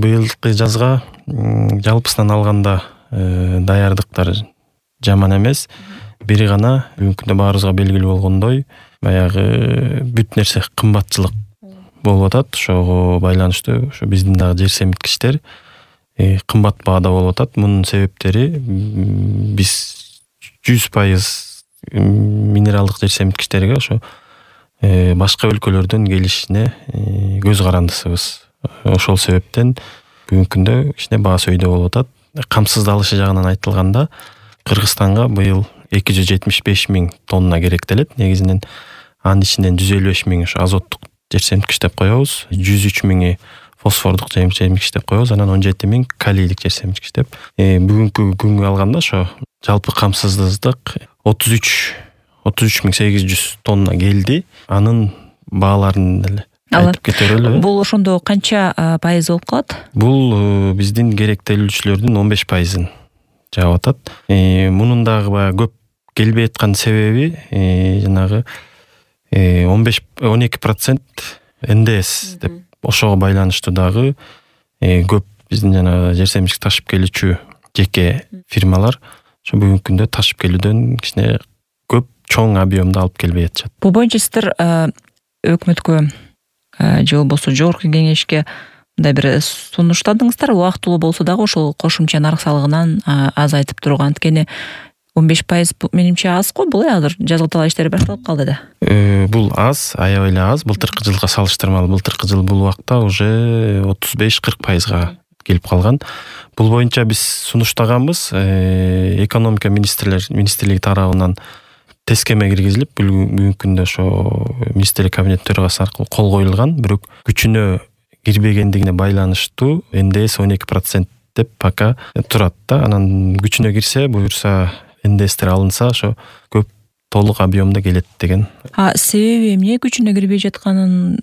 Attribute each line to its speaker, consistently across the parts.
Speaker 1: Быйылкы жазга жалпысынан алганда даярдыктар жаман эмес. Бири гана бүгүнкү күндө баарыбызга белгилүү болгондой, баягы бүт нерсе кымбатчылык болуп атат. Ошого байланыштуу ушу биздин дагы жер семирткичтер кымбат баада болуп атат. Мунун себептери биз 100% минералдык жер семирткичтерге ошо башка өлкөлөрдөн келишине көз карандысыбыз. Ошол себептен бүгүнкү күндө кичине баа сөйдө болуп атат. Камсыздалышы жагынан айтылганда Кыргызстанга быйыл 275 000 тонна керектелет. Негизинен анын ичинен 155 000 ошо азоттук жер семирткич деп коебуз, 103 000 фосфордук жер семирткич деп коебуз, анан 17 000 калийлик жер семирткич деп. Бүгүнкү күнгө алганда ошо жалпы камсыздык 33 800 тонна келди. Анын бааларын деле айтып кетелби?
Speaker 2: Бул ошондо канча пайыз болуп калат?
Speaker 1: Бул биздин керектелүүчүлөрдүн 15%-ын жаап атат. Мунун дагы баягы көп келбей аткан себеби жанагы 12% НДС деп ошого байланыштуу дагы көп биздин жанагы жер семирткич ташып келүүчү жеке фирмалар ошо бүгүнкү күндө ташып келүүдөн кичине көп чоң объемду алып келбей атышат.
Speaker 2: Бул боюнча сиздер өкмөткө же болбосо жогорку кеңешке мындай бир сунуштадыңыздар, убактылуу болсо дагы ошол кошумча нарк салыгынан азайтып турган. Анткени 15% менимче аз го, бул азыр жазгыталаа иштери башталып калды да.
Speaker 1: Бул аз, аябай эле аз. Былтыркы жылга салыштырмалуу былтыркы жыл бул убакта уже 35-40%га келип калган. Бул боюнча биз сунуштаганбыз. Экономика министрлиги тарабынан тескеме киргизилип, бүгүнкү күндө ошо министрлик кабинет төрагасы аркылуу кол коюлган. Бирок күчүнө кирбегендигине байланыштуу НДС 12% деп пока турат да. Анан күчүнө кирсе, буюрса НДСтер алынса, ошо көп толук объемдо келет деген.
Speaker 2: Себеби эмне күчүнө кирбей жатканын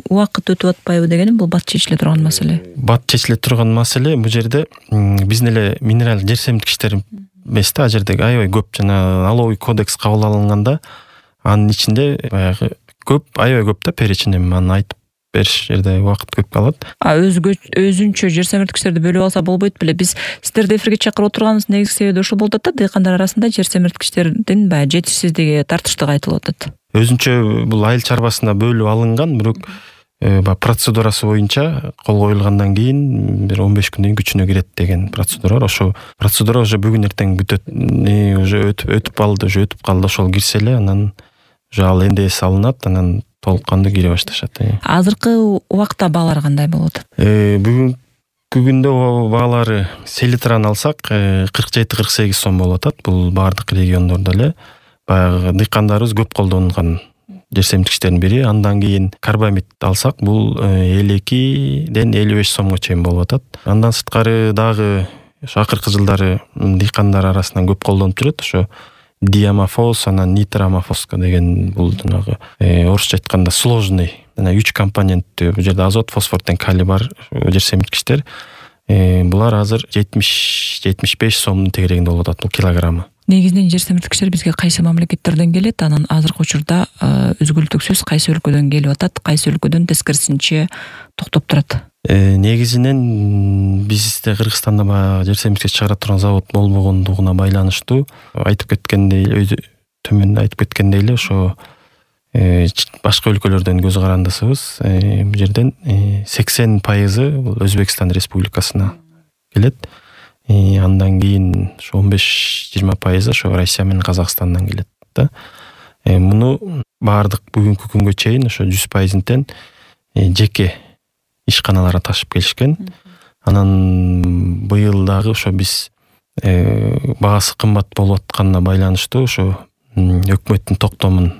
Speaker 2: убакыт өтүп атпайбы дегеним, бул бат чечиле турган маселе.
Speaker 1: Бат чечиле турган маселе бул жерде биздин эле минерал жер семирткичтер эмес да, ал жерде аябай көп жана налоговый кодекс кабыл алынганда анын ичинде баягы көп, аябай көп да перечень, аны айтып бериш жерде убакыт көп калат.
Speaker 2: Өзүнчө жер семирткичтерди бөлүп алса болбойт беле? Биз сиздерди эфирге чакырып отурганыбыздын негизги себеби ошол болуп атат да, дыйкандар арасында жер семирткичтердин баягы жетишсиздиги, тартыштыгы айтылып атат. Өзүнчө
Speaker 1: бул айыл чарбасына бөлүп алынган, бирок процедурасы боюнча кол коюлгандан кийин бир 15 күндөн кийин күчүнө кирет деген процедура бар. Ошо процедура уже бүгүн эртең бүтөт. Уже өтүп калды, ошол кирсе эле анан уже ал НДС алынат, анан толук кандуу кире башташат.
Speaker 2: Азыркы убакта баалар кандай болуп атат?
Speaker 1: Бүгүнкү күндө баалары селитраны алсак 47-48 сом болуп атат. Бул баардык региондордо эле баягы дыйкандарыбыз көп колдонгон жер семирткичтердин бири. Андан кийин карбамид алсак, бул 52-ден 55 сомго чейин болуп атат. Андан сырткары дагы ошо акыркы жылдары дыйкандар арасынан көп колдонуп жүрөт. Ошо диамофос, анан нитромофоска деген бул жанагы орусча айтканда сложный, жана 3 компоненттүү, бул жерде азот, фосфор менен калий бар жер семирткичтер. Булар азыр 70-75 сомдун тегерегинде болуп атат бул килограммы.
Speaker 2: Негизинен жер семирткичтер бизге кайсы мамлекеттерден келет? Анан азыркы учурда өзгөлтүксүз кайсы өлкөдөн келип атат, кайсы өлкөдөн тескерисинче токтоп турат?
Speaker 1: Негизинен бизде Кыргызстанда баягы жер семирткич чыгара турган завод болбогондугуна байланыштуу, айтып кеткендей эле ошо башка өлкөлөрдөн көз карандысыбыз. Бул жерден 80% бул Өзбекстан Республикасына келет. Андан кийин ошо 15-20% ошо Россия менен Казакстандан келет да. Муну баардык бүгүнкү күнгө чейин ошо 100%-тен жеке ишканаларга ташып келишкен. Анан быйыл дагы ошо биз баасы кымбат болуп атканына байланыштуу ошо өкмөттүн токтомун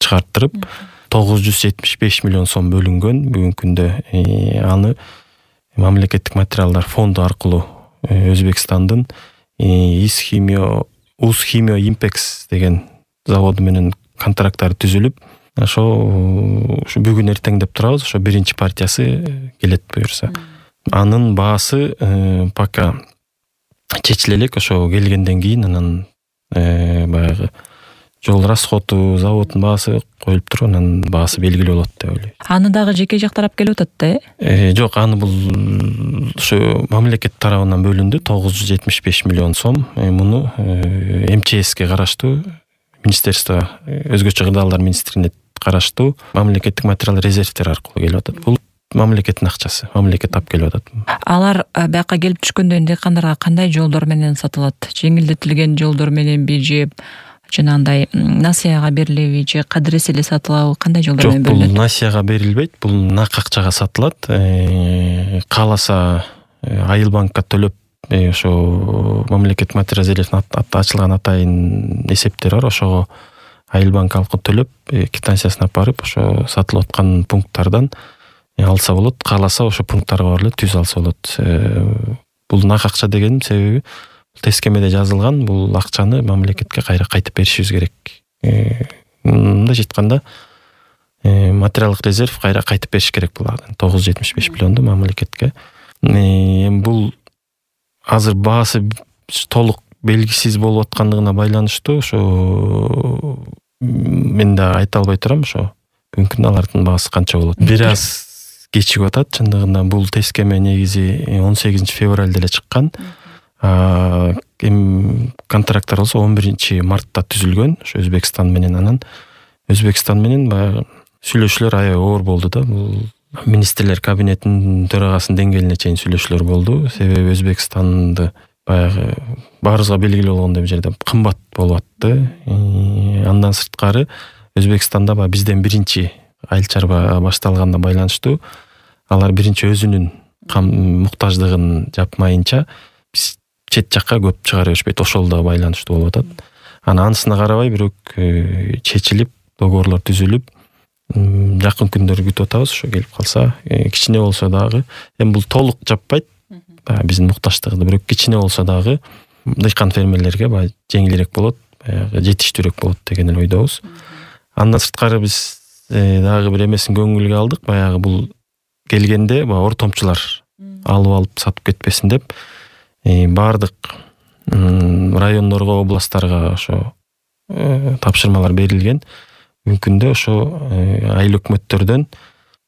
Speaker 1: чыгарттырып 975 миллион сом бөлүнгөн. Бүгүнкү күндө аны мамлекеттик материалдар фонду аркылуу Өзбекстандын Узхимио Импекс деген заводу менен контракттар түзүлүп, ошо бүгүн эртең деп турабыз, ошо биринчи партиясы келет буюрса. Анын баасы пока чечиле элек, ошо келгенден кийин анан баягы жол расходу, заводдун баасы коюлуп туруп, анан баасы белгилүү болот деп ойлойм.
Speaker 2: Аны дагы жеке жак тарап келип атат да?
Speaker 1: Жок, аны бул ушу мамлекет тарабынан бөлүндү 975 миллион сом. Муну МЧСке караштуу, министерство өзгөчө кырдаалдар министрлигине караштуу мамлекеттик материал резервтер аркылуу келип атат. Бул мамлекеттин акчасы, мамлекет тап келип атат.
Speaker 2: Алар бияка келип түшкөндө дыйкандарга кандай жолдор менен сатылат? Жеңилдетилген жолдор мененби же жанагындай насыяга берилеби же кадырес эле сатылабы, кандай жолдор менен
Speaker 1: бөлүнөт? Жок, бул насыяга берилбейт, бул нак акчага сатылат. Кааласа Айылбанкка төлөп, ошо мамлекет материал резервин ачылган атайын эсептер бар, ошого Айылбанк алкы төлөп, квитанциясын алып барып, ошо сатылып аткан пункттардан алса болот. Кааласа ошо пункттарга барып эле түз алса болот. Бул нак акча дегеним себеби тескемеде жазылган, бул акчаны мамлекетке кайра кайтып беришибиз керек. Мындайча айтканда, материалдык резерв кайра кайтып бериш керек бул 975 миллионду мамлекетке. Бул азыр баасы толук белгисиз болуп аткандыгына байланыштуу, ошо мен да айта албай турам, ошо бүгүнкү күндө алардын баасы канча болот. Бир аз кечигип атат. Чындыгында бул тескеме негизи 18 февралда эле чыккан. Контракттар болсо 11 мартта түзүлгөн, ошо Өзбекстан менен. Анан Өзбекстан менен баягы сүйлөшүүлөр аябай оор болду да. Бул министрлер кабинетинин төрагасынын деңгээлине чейин сүйлөшүүлөр болду. Себеби Өзбекстанды баягы баарыбызга белгилүү болгондой бул жерде кымбат болуп атты. Андан сырткары Өзбекстанда баягы бизден биринчи айыл чарба башталганда байланыштуу алар биринчи өзүнүн муктаждыгын жапмайынча биз чет жакка көп чыгара беришпейт, ошол да байланыштуу болуп атат. Анысына карабай бирок чечилип, договорлор түзүлүп, жакын күндөрдө күтүп атабыз. Ошо келип калса, кичине болсо дагы, бул толук жаппайт биздин муктаждыгыбызды, бирок кичине болсо дагы дыйкан фермерлерге баягы жеңилирээк болот, баягы жетиштүүрөөк болот деген эле ойдобуз. Андан сырткары биз дагы бир эмесин көңүлгө алдык. Баягы бул келгенде ортомчулар алып сатып кетпесин деп баардык райондорго, областтарга ошо тапшырмалар берилген. Мүмкүндө ошо айыл өкмөттөрдөн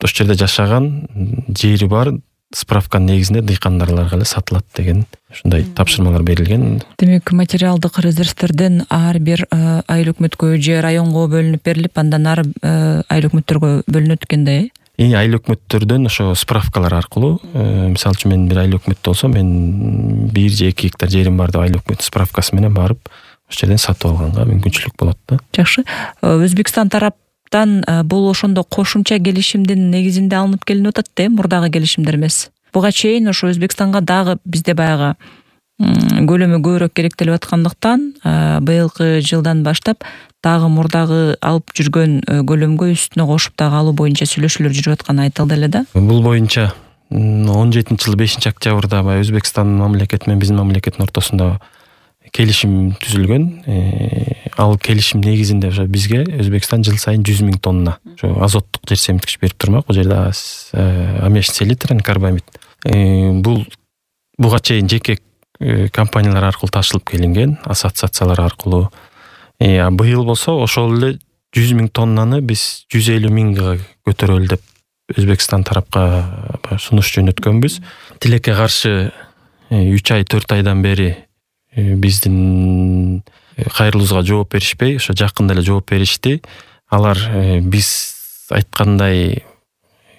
Speaker 1: ошол жерде жашаган, жери бар справканын негизинде дыйкандарларга эле сатылат деген ушундай тапшырмалар берилген. Демек,
Speaker 2: материалдык резервтерден ар бир айыл өкмөткө же районго бөлүнүп берилип, андан ары айыл өкмөттөргө бөлүнөт экенде.
Speaker 1: Айыл өкмөттөрдөн ошо справкалар аркылуу, мисалы үчүн мен бир айыл өкмөт болсом, мен 1 же 2 гектар жерим бар деп айыл өкмөт справкасы менен барып ошол жерден сатып алганга мүмкүнчүлүк болот да.
Speaker 2: Жакшы. Өзбекстан тараптан бул ошондо кошумча келишимдин негизинде алынып келинип атат да, мурдагы келишимдер эмес. Буга чейин ошо Өзбекстанга дагы бизде баягы көлөмү көбүрөөк керектелип аткандыктан быйылкы жылдан баштап дагы мурдагы алып жүргөн көлөмгө үстүнө кошуп дагы алуу боюнча сүйлөшүүлөр жүрүп атканы айтылды эле да.
Speaker 1: Бул боюнча 17-жылы 5-октябрда Өзбекстан мамлекети менен биздин мамлекеттин ортосунда келишим түзүлгөн. Ал келишим негизинде ошо бизге Өзбекстан жыл сайын 100 000 тонна ошо азоттук жер семирткич берип турмак. Бул жерде аммиачный селитр, карбамид. Буга чейин жеке компаниялар аркылуу ташылып келинген, ассоциациялар аркылуу. Быйыл болсо ошол эле 100 000 тоннаны биз 150 000га көтөрөлү деп Өзбекстан тарапка сунуш жөнөткөнбүз. Тилекке каршы 3 ай 4 айдан бери биздин кайрылуубузга жооп беришпей, ошо жакында эле жооп беришти. Алар биз айткандай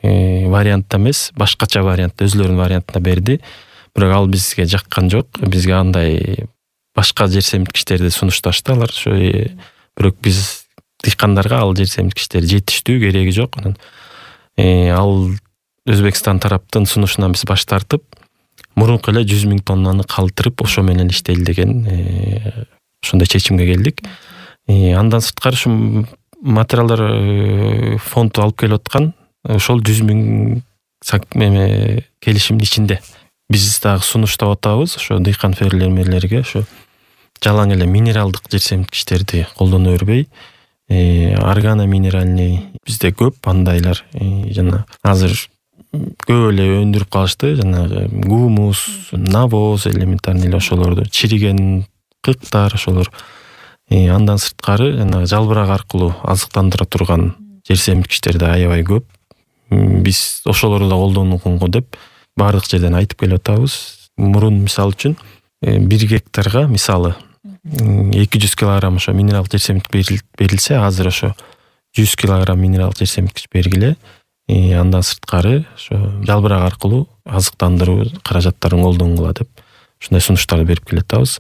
Speaker 1: вариантта эмес, башкача вариантта, өзлөрүнүн вариантына берди. Бирок ал бизге жаккан жок. Бизге андай башка жер семирткичтерди сунушташты алар. Ошо бирок биз дыйкандарга ал жер семирткичтер жетиштүү, кереги жок. Анан ал Өзбекстан тараптын сунушунан биз баш тартып, мурунку эле 100 000 тоннаны калтырып, ошо менен иштейли деген ошондой чечимге келдик. Андан сырткары ушу материалдар фонд алып келип аткан ошол 100 000 келишимдин ичинде. Биз дагы сунуштап атабыз ошо дыйкан фермерлерге ошо жалаң эле минералдык жер семирткичтерди колдоно бербей, органо минеральный бизде көп андайлар. Жана азыр көп эле өндүрүп калышты, жанагы гумус, навоз элементарный эле ошолорду, чириген кыктар ошолор Андан сырткары жанагы жалбырак аркылуу азыктандыра турган жер семирткичтер да аябай көп. Биз ошолорду да колдонгонго деп баардык жерден айтып келип атабыз. Мурун мисалы үчүн 1 гектарга мисалы 200 килограмм ошо минералдык жер семиртик берилсе, азыр ошо 100 килограмм минералдык жер семирткич бергиле. Андан сырткары ошо жалбырак аркылуу азыктандыруу каражаттарын колдонгула деп ушундай сунуштарды берип келатабыз.